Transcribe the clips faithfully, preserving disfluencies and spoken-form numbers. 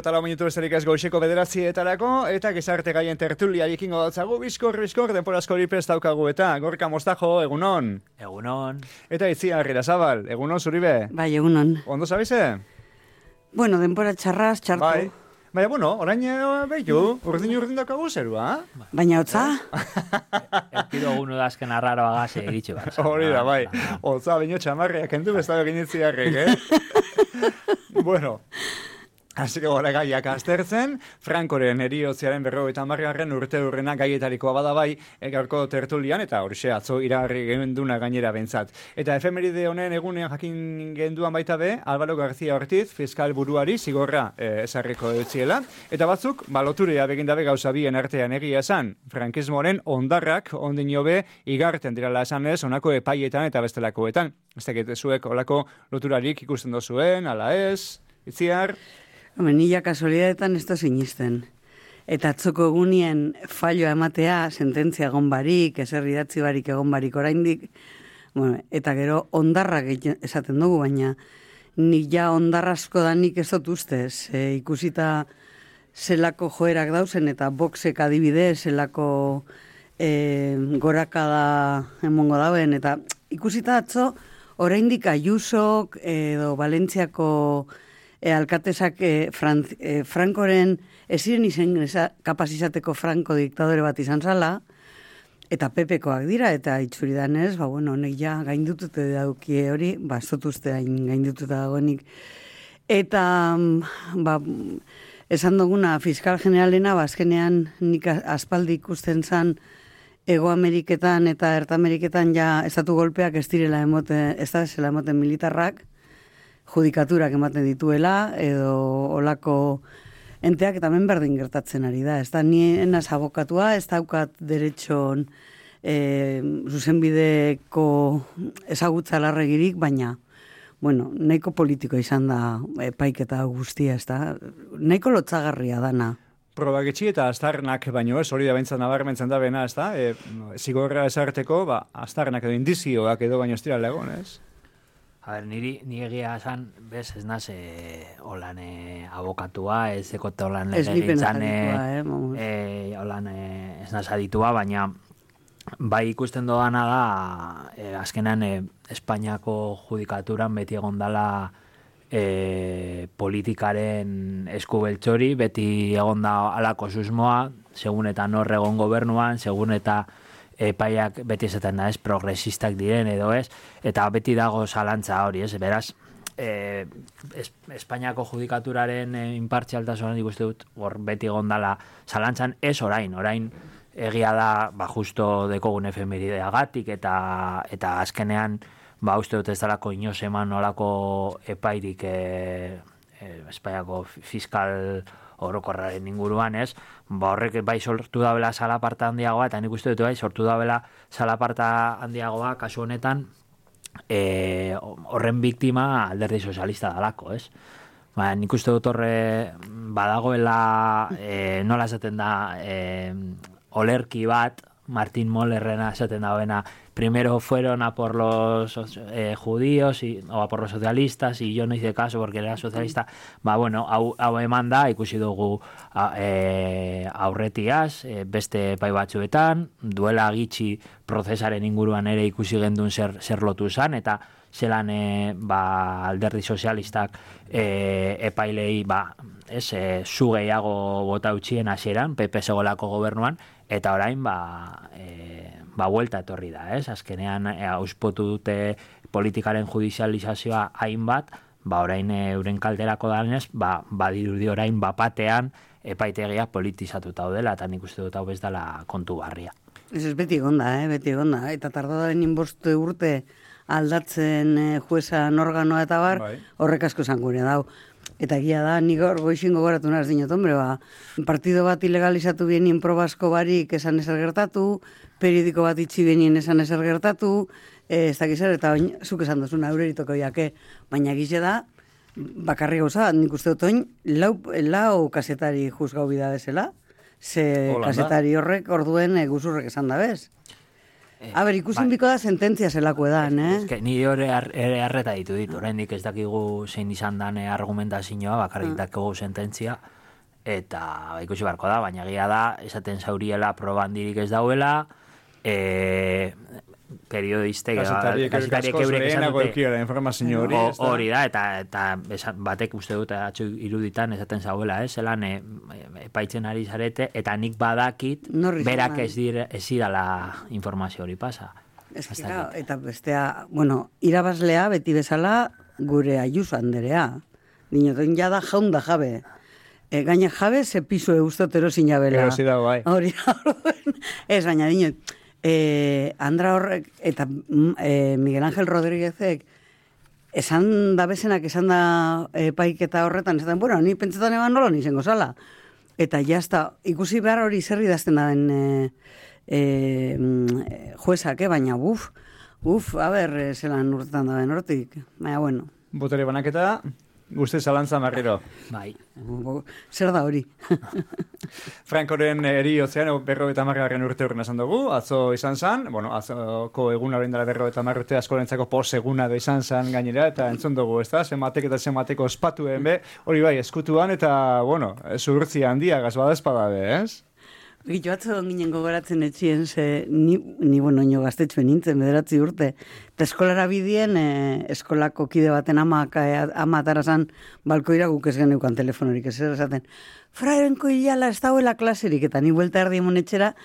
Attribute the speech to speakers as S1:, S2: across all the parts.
S1: eta lau minutu besterik ez goizeko bederatzietarako, eta gizarte gaien tertulia ikingo datzagu, bizkor, bizkor, denporazko hori prest daukagu eta Gorka Mostajo, egunon.
S2: Egunon.
S1: Eta Itziar Irasabal, egunon zuribe.
S3: Bai, egunon.
S1: Ondo zabize?
S3: Bueno, denpora txarraz, txartu.
S1: Bai. Baina, bueno, orain behitu, urdin urdin daukagu zerua.
S3: Baina hotza?
S2: Elkido gunu da azken arraroa gaze eritxe bat.
S1: Hori da, bai. Hotza, baino txamarreak endu bezala egin itziarrek, eh? Bueno, hasi gora gaiak aztertzen, Frankoren eriotziaren berrogeita hamargarren urte urrena gaietarikoa bada bai, gaurko tertulian, eta horixe atzo iragarri genduna gainera bentsat. Eta efemeride honen egunean jakin genduan baita be, Álvaro García Ortiz, fiskal buruari zigorra eh, esarriko eutziela, eta batzuk, baloturea begindabe gauza bien artean egia esan, frankismoaren ondarrak ondino be igarten dirala esanez, honako epaietan eta bestelakoetan. Ez dakit zuek olako loturarik ikusten dozuen, ala ez, Itziar?
S3: Hemen, nila kasualidadetan ez da sinisten. Eta atzoko egunien falloa ematea, sententzia egon barik, eser idatzi barik egon barik oraindik, bueno, eta gero ondarrak esaten dugu, baina nik ja ondarrasko da nik ez dut ustez. E, ikusita zelako joerak dauzen eta boxek adibide, zelako e, gorakada emongo dauen, eta ikusita atzo oraindik Ayusok edo Valentziako E, alkatesak e, Fran, e, Frankoren eziren izen kapaz izateko Franko diktadore bat izan zala, eta Pepekoak dira, eta itxuridanez, ba, bueno, honek ja gaindutute daukie hori, ba, ez dut uste hain gaindututa dagoenik. Eta, ba, esan duguna, fiskal generalena, ba, azkenean nik aspaldi ikusten zan Ego Ameriketan eta Erta Ameriketan ja estatu golpeak ez direla emoten, ez da zela emoten militarrak, judikaturak ematen dituela, edo olako enteak eta hemen berdin gertatzen ari da. Ez da, ni enaz abokatua, ez daukat deretxon e, zuzenbideko ezagutza larregirik, baina, bueno, nahiko politiko izan da epaiketa guztia, ez da, nahiko lotzagarria dana.
S1: Probaketxi eta astarnak baino ez, hori da bentzat nabarmentzen da bena, ez da, e, zigorra esarteko, ba, astarnak edo indizioak edo baino ez dira legon, ez?
S2: A ber, niri, nire egia esan, bez, ez naz, e, holan e, abokatua, ez ekote holan legegintzan, e, e, holan e, ez naz aditua, baina bai ikusten dodana da, e, azkenan e, Espainiako judikaturan beti egon dala e, politikaren eskubeltxori, beti egon da alako susmoa, segun eta nor egon gobernuan, segun eta epaiak beti esaten da ez, progresistak diren edo ez, eta beti dago zalantza hori, ez, beraz, e, es, Espainiako judikaturaren e, inpartzialtasunan ikuste dut, hor beti gondala zalantzan, ez orain, orain egia da, ba, justo dekogun efemerideagatik, eta, eta azkenean, ba, uste dut ez dalako inoz eman nolako epairik e, e, Espainiako fiskal orokorraren inguruan, ez? Ba, horrek bai sortu dabela salaparta handiagoa, eta nik uste dut bai sortu dabela salaparta handiagoa, kasu honetan, e, horren biktima alderdi sozialista dalako, ez? Ba, nik uste dut horre badagoela, e, nola esaten da, e, olerki bat, Martin Mollerrena esaten dagoena, primero fueron a por los eh, judíos y, o a por los socialistas y yo no hice caso porque era socialista. Ba, bueno, hau, hau eman da, ikusi dugu a, e, aurretiaz, e, beste pai batzuetan, duela gitxi prozesaren inguruan ere ikusi gendun zer, zer lotu zan, eta zelan e, ba, alderdi sozialistak e, epailei ba, ez, e, zu gehiago bota utxien hasieran, P P segolako gobernuan, eta orain ba, e, ba vuelta etorri da, ez? Azkenean e, auspotu dute politikaren judizializazioa hainbat, ba orain e, euren kalterako danez, ba badirudi orain bapatean epaitegia politizatuta daudela, eta nik uste dut hau ez dela kontu barria.
S3: Ez ez beti egonda, eh? beti egonda, eta tardadaren inbostu urte aldatzen e, juezan organoa eta bar, bai. Horrek asko zangure dau. Eta egia da, nik hor goixin gogoratu naz dinot, hombre, ba, partido bat ilegalizatu bienien probasko barik esan ezer gertatu, periodiko bat itxi bienien esan ezer gertatu, e, ez dakizer, eta oin, zuk esan duzuna, eureritoko jake, baina egize da, bakarri gauza, nik uste dut oin, lau, lau kasetari juzgau bida bezala, ze Holanda. Kasetari horrek orduen e, guzurrek esan da bez. A ber, ikusin biko da sententzia zelako edan, eh?
S2: Ez que nire hori ere arreta ditu dit, oraindik ez dakigu zein izan dan argumentazioa, bakarrik dakigu sententzia, eta ikusi barko da, baina egia da, esaten zauriela probandirik ez dauela, e, periodistek,
S1: kasetariek eurek esan dute informazio hori,
S2: hori da, eta, eta batek uste dut atxo iruditan esaten zauela, ez, zelan e, epaitzen ari zarete, eta nik badakit, berak ez dira informazio hori pasa.
S3: Ez kira, eta bestea, bueno, irabazlea beti bezala gure Ayuso anderea. Dinoten jada jaun da jabe. E, gaina jabe ze pisu eustotero zinabela.
S1: Erosi da, bai.
S3: Hori da, ez, baina dinot, e, Andra horrek eta e, Miguel Ángel Rodríguezek esan da bezenak, esan da e, paiketa horretan, esan, bueno, ni pentsetan eban nolo nizengo zala. Eta jazta, ikusi behar hori zerri dazten da den e, e, juezak, eh? Baina uf, uf, a ber, zelan urtetan da den hortik. Baina, bueno.
S1: Botere banaketa, guzti zalantza marriro.
S2: Bai.
S3: Zer da hori?
S1: Frankoren eriotzean berro eta margarren urte horren esan dugu, atzo izan zan, bueno, atzoko eguna horrein dela berro eta marrute askorentzako pos eguna da izan zan gainera, eta entzun dugu, ez da, zematek eta zemateko ospatuen be, hori bai, eskutuan, eta, bueno, zurtzi handia gazbada espadabe, ez?
S3: Gitu atzo ginen gogoratzen etxien, ze ni, ni bueno, nio gaztetxuen nintzen, bederatzi urte. Eta eskolara bidien, eh, eskolako kide baten ama, ama atarazan balkoira guk ez geneukan telefonorik, ez esaten. Frarenko hilala ez dauela klaserik, eta ni buelta erdi emonetxera,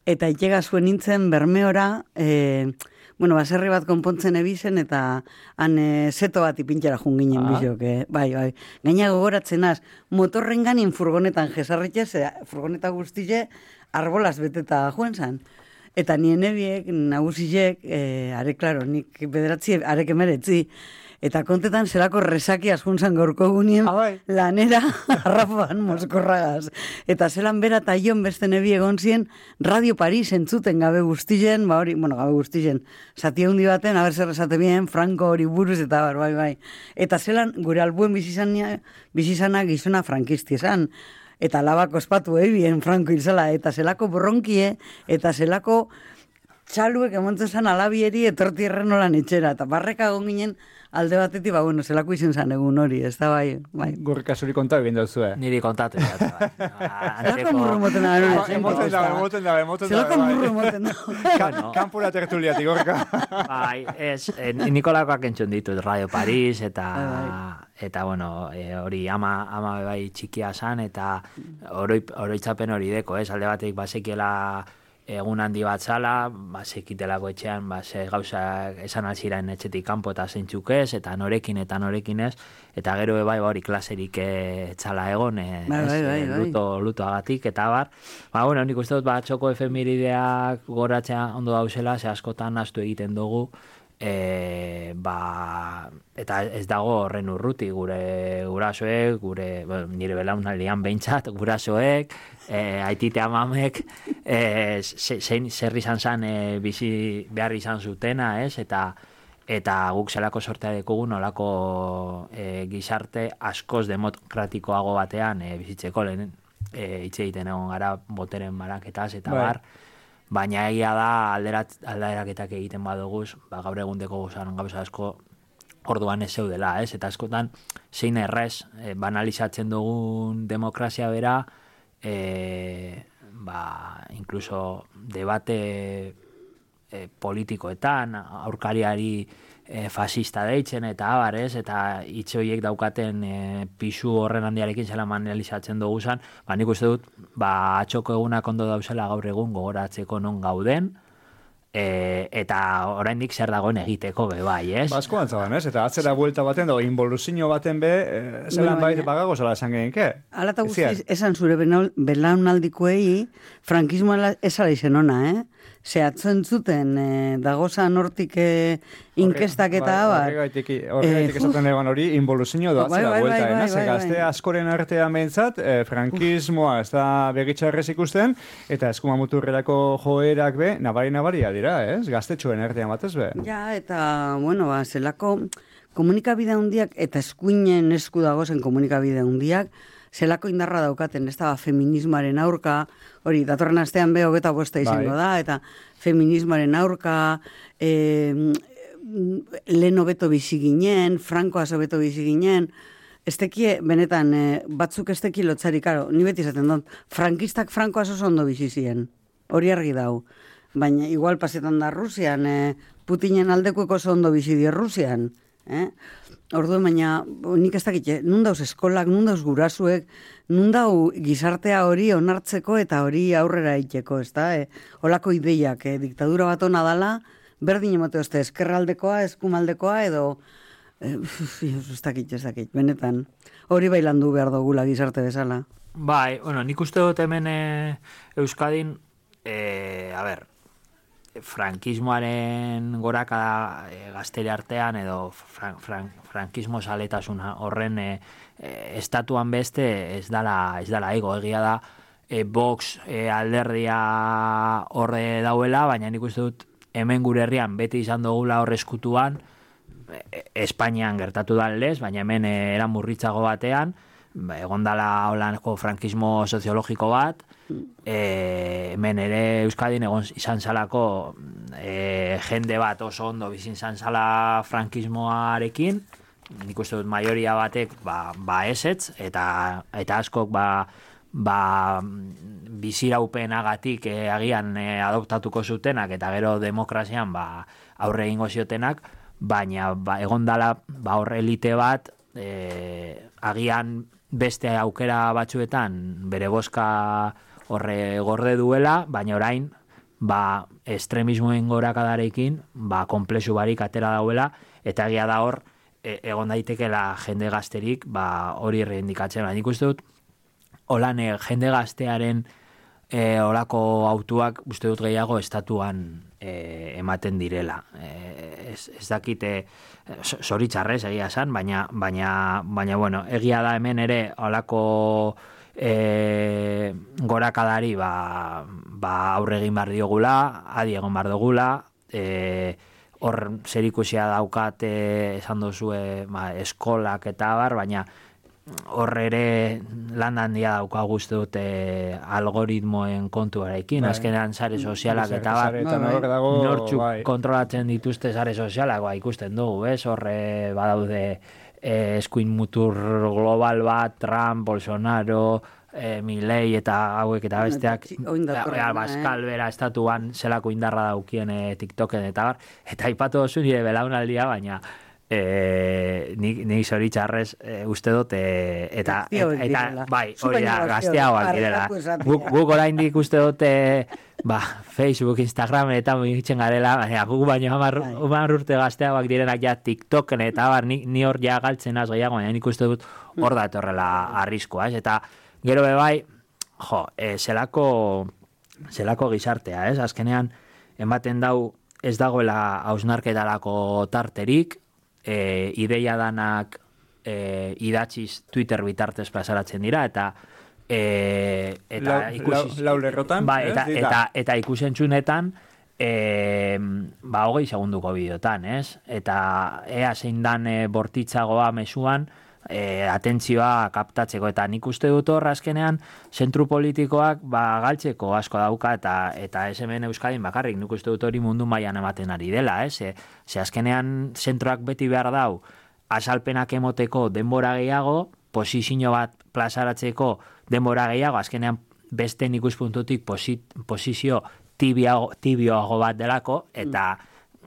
S3: eta itxega zuen nintzen bermeora, eh, bueno, baserri bat konpontzen ebizen, eta han e, zeto bat ipintxera junginen ah. bizok, eh? Bai, bai. Gaina gogoratzen az, motorren ganin furgonetan jesarritxez, furgoneta guztize, arbolaz beteta joen zan. Eta nien ebiek, nagusizek, e, are, klaro, nik bederatzi, arek emeretzi, eta kontetan zelako resaki askuntzan gaurko gunien ah, bai. Lanera arrafoan moskorragaz. Eta zelan bera eta ion beste nebi egon zien Radio Paris entzuten gabe guztizen, ba hori, bueno, gabe guztizen, zati handi baten, haber zer esate bien, Franco hori buruz eta bar, bai, bai. Eta zelan gure albuen bizizana gizona frankisti esan. Eta labako espatu ebien Franco hilzala, eta zelako bronkie, eta zelako txaluek emontzen zan alabieri etorti errenolan etxera. Eta barreka egon ginen, alde batetik, ba, bueno, zelako izen zan egun hori, ez da bai, bai.
S1: Gurka zuri konta egin dauzu, eh?
S2: Niri kontatu, ja, bai.
S3: Zelako murru moten da, no?
S1: Emoten da, emoten da, emoten da.
S3: Zelako murru moten da.
S1: Kampura tertuliatik, Gorka.
S2: Bai, ez, Nikolakoak entzun ditut, Radio Paris, eta, eta bueno, hori ama, ama bai txikia zan, eta oroitzapen hori deko, ez, alde batetik basekiela egun handi bat zala, ba, sekitelako etxean, ba, ze gauzak esan alziren etxetik kanpo eta zeintzuk ez, eta norekin eta norekin ez, eta gero bai hori klaserik etxala egon, ez,
S3: bai, bai, bai, bai.
S2: luto, lutoagatik, eta bar. Ba, bueno, nik uste dut, ba, txoko efemerideak goratzea ondo dauzela, ze askotan astu egiten dugu, E, ba, eta ez dago horren urruti gure gurasoek, gure, bueno, nire belaunaldian behintzat, gurasoek, e, aitite amamek, e, zein zer izan zan e, bizi behar izan zutena, ez? Eta, eta guk zelako sortea dekugu nolako e, gizarte askoz demokratikoago batean e, bizitzeko lehen e, hitz egiten egon gara boteren baraketaz eta bai. Bar. Baina egia da alderat, alderaketak egiten baduguz, ba, gaur egundeko gozaren gauza asko orduan ez zeudela, ez? Eta askotan zein errez e, banalizatzen dugun demokrazia bera, e, ba, incluso debate e, politikoetan, aurkariari e, fascista deitzen eta abar, ez? Eta hitzoiek daukaten e, pisu horren handiarekin zela banalizatzen dugu zan, ba, nik uste dut, ba, atxoko egunak ondo dauzela gaur egun gogoratzeko non gauden, e, eta oraindik zer dagoen egiteko be bai, ez?
S1: Ba, asko antzaban, ez? Eta atzera buelta baten, do, involuzio baten be, e, zelan bueno, baita bagago zela esan genike.
S3: Ala eta guztiz, esan zure belaunaldikoei, frankismoa esala izen ona, eh? Zehatzen zuten, eh, dagozan hortik eh, inkestak eta abar.
S1: Horregaitik eh, esaten egon hori, involuzio doatzela bai, bai, buelta, bai, bai, bai, gazte bai. Askoren artean mentzat, eh, frankismoa ez da begitxarrez ikusten, eta eskuma muturrerako joerak be, nabari-nabaria dira, ez? Gaztetxoen artean batez be.
S3: Ja, eta, bueno, ba, zelako komunikabide handiak, eta eskuinen esku dagozen komunikabide handiak, zelako indarra daukaten, ez da, feminismoaren aurka, hori, datorren astean be hogeta bosta izango da, eta feminismoaren aurka, e, lehen hobeto bizi ginen, Frankoaz hobeto bizi ginen, ez tekie, benetan, e, batzuk ez teki lotzari, karo, ni beti izaten dut, frankistak Frankoaz oso ondo bizi ziren, hori argi dau, baina igual pasetan da Rusian, e, Putinen aldekueko oso ondo bizi die Rusian, eh? Orduan, baina, nik ez dakit, nun dauz eskolak, nun dauz gurasuek, nun dau gizartea hori onartzeko eta hori aurrera iteko, ez da? E, olako ideiak, eh? Diktadura bat hona dala, berdin emote oste, eskerraldekoa, eskumaldekoa, edo, eh, ez dakit, ez dakit, benetan, hori bailandu behar dugula gizarte bezala.
S2: Bai, bueno, nik uste dut hemen e, Euskadin, e, a ber, frankismoaren gorakada e, gaztere artean edo fran, fran, frankismo saletasun horren e, e, estatuan beste ez dala, ez dala ego, egia da e, Vox e, alderdia horre dauela, baina nik uste dut hemen gure herrian beti izan dugula horre eskutuan, e, Espainian gertatu da lez, baina hemen e, eran murritzago batean, egon dala holanko frankismo soziologiko bat, e, hemen ere Euskadin egon izan zalako e, jende bat oso ondo bizin izan zala frankismoarekin, nik uste dut maioria batek ba, ba esetz, eta, eta askok ba, ba biziraupenagatik e, agian e, adoptatuko zutenak, eta gero demokrazian ba, aurre egingo ziotenak, baina ba, egon dala ba, horre elite bat, e, agian beste aukera batzuetan bere boska horre gorde duela, baina orain ba, estremismoen gorakadarekin ba, konplexu barik atera dauela, eta egia da hor e, egon daitekela jende gazterik ba, hori erreindikatzen. Nik uste dut, holan e, jende gaztearen e, olako autuak uste dut gehiago estatuan e, ematen direla. E, ez, ez dakite zoritxarrez egia esan, baina, baina, baina bueno, egia da hemen ere olako e, gorakadari ba, ba aurre egin behar diogula, adi egon behar dugula, e, hor zerikusia daukat e, esan duzue ba, eskolak eta bar, baina hor ere lan handia dauka guzti dute algoritmoen kontuarekin, bai. Azkenean sare sozialak eta bar, nortzuk bai. Kontrolatzen dituzte sare sozialak, ba, ikusten dugu, ez? Horre badaude eh, eskuin mutur global bat, Trump, Bolsonaro, eh, Milei eta hauek eta besteak, Baskal bera estatuan zelako indarra daukien eh, TikToken eta bar, eta aipatu dozu nire belaunaldia, baina Eh, ni ni zoritxarrez eh, uste dut eh, eta, eta, eta bai, hori da, gazteagoak direla. Guk, guk oraindik uste dut eh, ba, Facebook, Instagram eta mugitzen garela, baina guk baino hamar urte gazteagoak direnak ja TikToken eta bar, ni, ni hor ja galtzen az gehiago, baina nik uste dut hor da etorrela arriskoa, ez? Eta gero be bai, jo, eh, zelako zelako gizartea, ez? Azkenean ematen dau ez dagoela hausnarketarako tarterik, E, ideia danak e, idatziz Twitter bitartez plazaratzen dira, eta e, eta
S1: lau, ikusiz, lau, lau lerrotan,
S2: ba, eta, eta, eta, eta ikusentzunetan e, ba, hogei segunduko bideotan, ez? Eta ea zein dan e, bortitzagoa mesuan e, atentzioa kaptatzeko, eta nik uste dut hor azkenean zentru politikoak ba, galtzeko asko dauka, eta eta ez hemen Euskadin bakarrik, nik uste dut hori mundu mailan ematen ari dela, ez? E, ze azkenean zentroak beti behar dau azalpenak emoteko denbora gehiago, posizio bat plazaratzeko denbora gehiago, azkenean beste ikuspuntutik posizio tibioago, tibioago bat delako, eta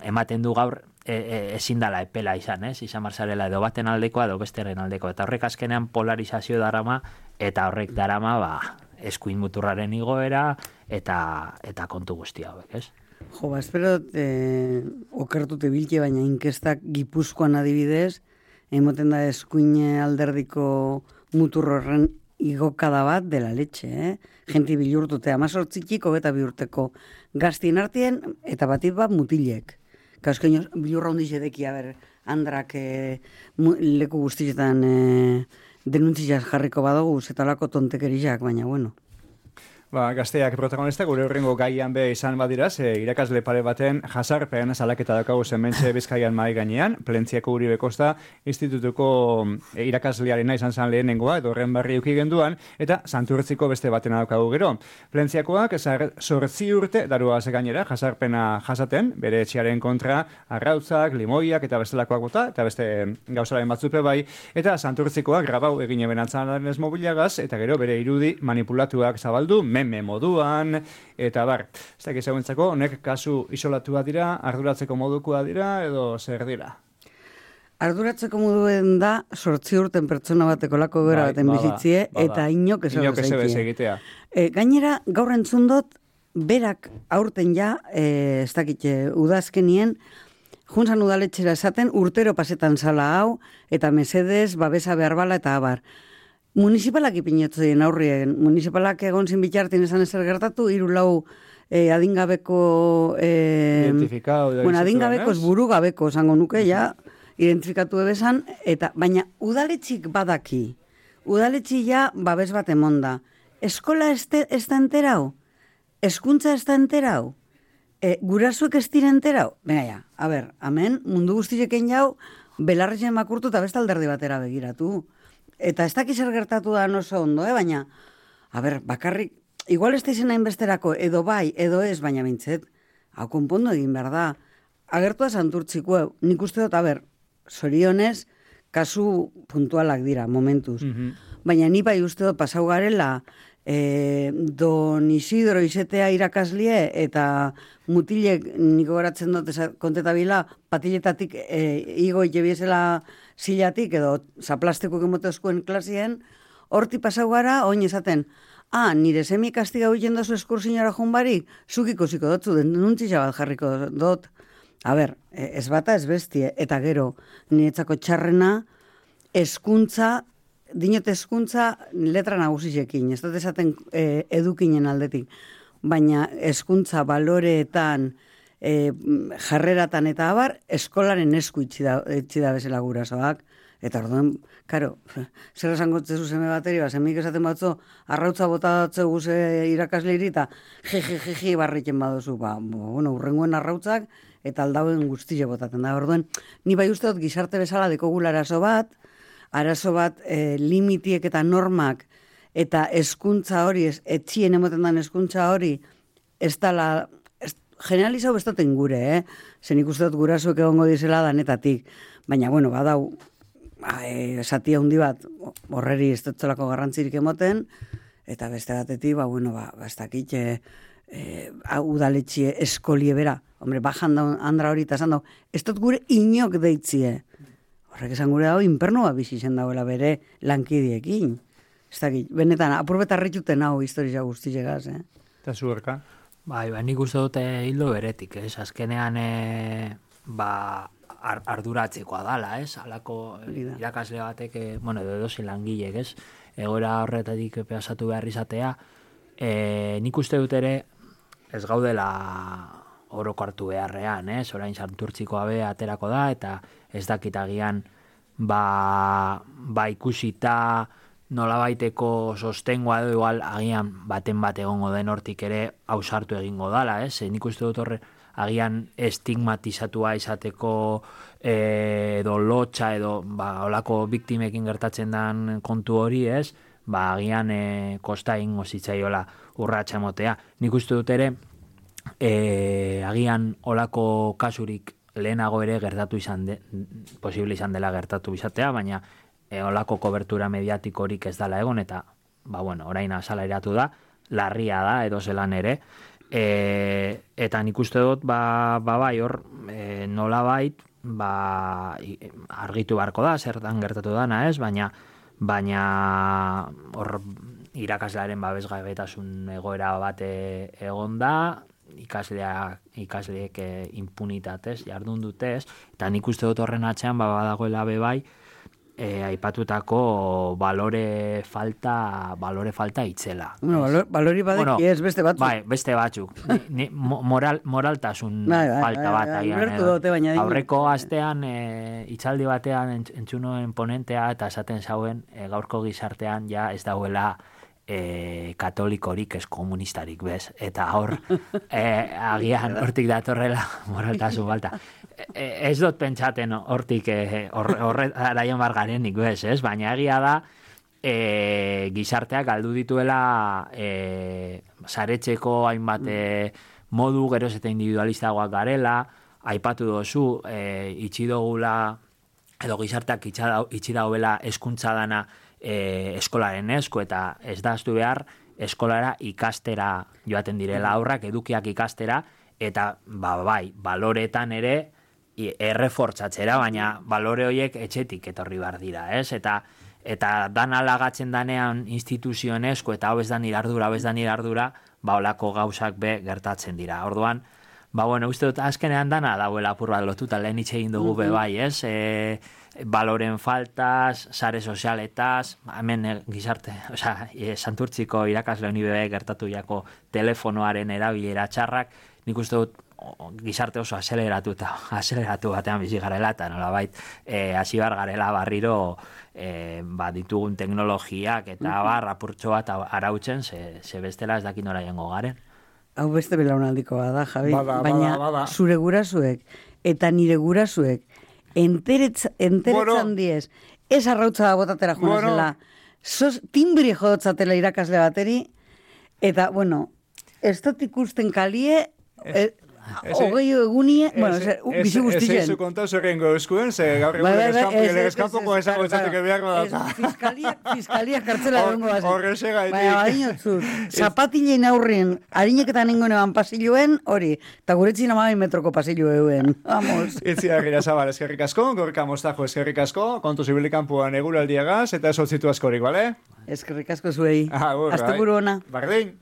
S2: ematen du gaur E, e, ezin dala epela izan, ez? Izan marzarela edo baten aldekoa edo besteren aldeko. Eta horrek azkenean polarizazio darama, eta horrek darama ba, eskuin muturraren igoera eta eta kontu guzti hauek, ez?
S3: Jo, ba, espero eh, okertute bilke, baina inkestak Gipuzkoan adibidez, emoten da eskuin alderdiko muturrorren igokada bat dela letxe, eh? Genti bilurtute, amazortzitik hogeta bihurteko gaztien artien, eta batit bat mutilek. Kauzkeino, bilurra hondiz edeki, ber, andrak e, leku guztietan e, denuntzizaz jarriko badugu, zetalako tontekerizak, baina bueno.
S1: Ba, gazteak protagonista gure horrengo gaian be izan badira, ze irakasle pare baten jasarpen salaketa daukagu zementxe Bizkaian mahai gainean, Plentziako Uribe Kosta institutuko irakaslearena izan zan lehenengoa, edo horren barri uki genduan, eta Santurtziko beste batena daukagu gero. Plentziakoak zortzi urte darua ze gainera jasarpena jasaten, bere etxearen kontra arrautzak, limoiak eta bestelakoak bota, eta beste gauzaren batzupe bai, eta Santurtzikoak grabau egin ebenatzen ez mobilagaz, eta gero bere irudi manipulatuak zabaldu, meme moduan, eta bar. Ez dakit zeuentzako, honek kasu isolatua dira, arduratzeko modukoa dira, edo zer dira?
S3: Arduratzeko moduen da, sortzi urten pertsona bateko lako gara baten
S1: bai,
S3: bizitzie,
S1: bada,
S3: eta inok ez
S1: egitea.
S3: E, gainera, gaur entzundot, berak aurten ja, e, ez dakit, udazkenien, juntzan udaletxera esaten, urtero pasetan sala hau, eta mesedez, babesa behar bala, eta abar. Municipalak ipinotzen aurrien, municipalak egon zin bitartin esan ezer gertatu, hiru lau eh, adingabeko... Eh,
S1: Identifikau.
S3: Bueno, adingabeko ez buru gabeko, zango nuke, ja, identifikatu ebesan, eta, baina udaletxik badaki, udaletxik ja babes bat emonda. Eskola ez da enterau? Eskuntza ez da enterau? E, gurasuek ez dira enterau? Venga, ja, a ber, amen, mundu guztizeken jau, belarretzen makurtu eta besta alderdi batera begiratu. Eta ez dakiz zer gertatu da oso ondo, eh? Baina, a ber, bakarrik, igual ez da izan hainbesterako, edo bai, edo ez, baina bintzet, hau konpondo egin behar da. Agertu da Santurtziko, nik uste dut, a ber, zorionez, kasu puntualak dira, momentuz. Mm-hmm. Baina ni bai uste dut pasau garela, e, Don Isidro izetea irakaslie, eta mutilek, niko garatzen dut kontetabila, patiletatik e, igo itebiezela zilatik, edo zaplasteko gemotezkoen klasien, horti pasau gara, oin esaten, ah, nire semi kastiga huiten dozu eskursinara junbarik, zukiko ziko dotzu, denuntzitza bat jarriko dut. A ber, ez bata ez bestie, eta gero, niretzako txarrena, eskuntza, dinot eskuntza letra nagusizekin, ez dut esaten e, edukinen aldetik, baina eskuntza baloreetan, e, jarreratan eta abar, eskolaren esku itxi da, itxi da bezala gurasoak, eta orduan, karo, zer esango tzezu seme bateri, ba, semik esaten batzu, arrautza bota datze guze irakasleiri, eta jeje, jeje, barriken badozu, ba, bueno, urrengoen arrautzak, eta aldauen guztile botaten da. Orduan, ni bai uste dut gizarte bezala dekogula arazo bat, arazo bat e, limitiek eta normak, eta eskuntza hori, ez, etxien emoten dan eskuntza hori, ez dala, ez, generalizau bestaten gure, eh? Zen ikuste dut gurasoek egongo dizela danetatik. Baina, bueno, badau, e, satia hundi bat, horreri ez dutzelako garrantzirik emoten, eta beste batetik, ba, bueno, ba, ez dakit, e, e, udaletxie eskolie bera, hombre, bajan da andra hori eta esan dago, ez dut gure inok deitzie. Horrek esan gure dago, inpernoa bizi zen dagoela bere lankidiekin. Ez dakit, benetan, apurbetarrituten hau historia guztizegaz, eh?
S1: Eta zuerka?
S2: Bai, ba, nik uste dute hildo beretik, ez? Azkenean, e, ba, ar, arduratzekoa dala, ez? Alako irakasle batek, e, bueno, edo edozi langilek, ez? Egoera horretatik pasatu behar izatea, e, nik uste dut ere, ez gaudela oroko hartu beharrean, ez? Orain Santurtzikoa be aterako da, eta ez dakitagian, ba, ba ikusita nolabaiteko sostengoa edo igual agian baten bat egongo den hortik ere ausartu egingo dala, ez? Nik uste dut horre agian estigmatizatua izateko e, edo lotxa edo ba, olako biktimekin gertatzen den kontu hori, ez? Ba, agian e, kosta egingo zitzaiola urratsa emotea. Nik uste dut ere e, agian olako kasurik lehenago ere gertatu izan de, posible izan dela gertatu izatea, baina e, olako kobertura mediatikorik ez dela egon, eta ba, bueno, orain asaleratu da, larria da, edo zelan ere, e, eta nik uste dut, ba, ba bai, hor, e, nola bait, ba, argitu beharko da, zertan gertatu dana, ez, baina, baina hor irakaslearen babesgabetasun egoera bate egon da, ikasleak, ikasleek e, impunitatez, jardun dutez, eta nik uste dut horren atzean, ba, badagoela be bai, E, aipatutako balore falta balore falta itzela.
S3: Bueno, valor, balori badeki bueno, ez beste batzuk.
S2: Bai, beste batzuk. Ni, ni, moral, moraltasun bai, bai, falta bai, bai, bat. Bai, dute, baina aurreko astean e, itzaldi batean entzunoen ponentea eta esaten zauen e, gaurko gizartean ja ez dauela e, katolikorik ez komunistarik, bez? Eta hor, e, agian hortik datorrela moraltasun balta. E, ez dut pentsaten hortik horretaraien bargarenik, bez, ez? Baina egia da, e, gizarteak galdu dituela e, saretzeko hainbat e, modu, geroz eta individualistagoak garela, aipatu dozu, e, itxidogula, edo gizarteak itxidagoela eskuntza dana e, eskolaren esku, eta ez da aztu behar eskolara ikastera joaten direla aurrak, edukiak ikastera, eta ba, bai, baloretan ere errefortzatzera, baina balore horiek etxetik etorri bar dira, ez? Eta eta dan alagatzen danean instituzioen esku, eta hau ez da nire ardura, hau ez da nire ardura, ba, olako gauzak be gertatzen dira. Orduan, ba, bueno, uste dut, azkenean dana dauela apur bat lotuta, lehen hitz egin dugu be bai, ez? E, baloren faltaz, sare sozialetaz, hemen e, gizarte, osea, e, Santurtziko irakasle honi bebe gertatu jako telefonoaren erabilera txarrak, nik uste dut o, gizarte oso azeleratu eta azeleratu batean bizi garela, eta nolabait, e, hasi bar garela barriro e, ba, ditugun teknologiak eta bar, apurtxo bat arautzen, ze, ze bestela ez dakit nora jengo garen.
S3: Hau beste belaunaldiko bada, Javi,
S1: bada,
S3: baina
S1: bada, bada.
S3: Zure gurasuek eta nire gurasuek enteretz, enteretzan bueno, diez, ez arrautza da botatera junazela, bueno, sos timbri jodotzatela irakasle bateri, eta, bueno, ez dut ikusten kalie, es, hogei egunie, bueno, bizi guztien.
S1: Ez eizu kontau zerrengo euskuen, ze gaur egun legezkanpoko esango esateke beharko da.
S3: Fiskalia kartzela egongo bazen.
S1: Horreze gaitik.
S3: Baina, badinotzut, zapatilein aurrien, harineketan nengoen eban pasilloen, hori, eta guretzin amabi metroko pasillo euen. Vamos.
S1: Itzi agira zabal, eskerrik asko, gorka mostajo eskerrik asko, kontu zibilikampuan eguraldiagaz, eta esotzitu askorik, bale?
S3: Eskerrik asko zuei.
S1: Agur,
S3: Asteburu ona.
S1: Bardin.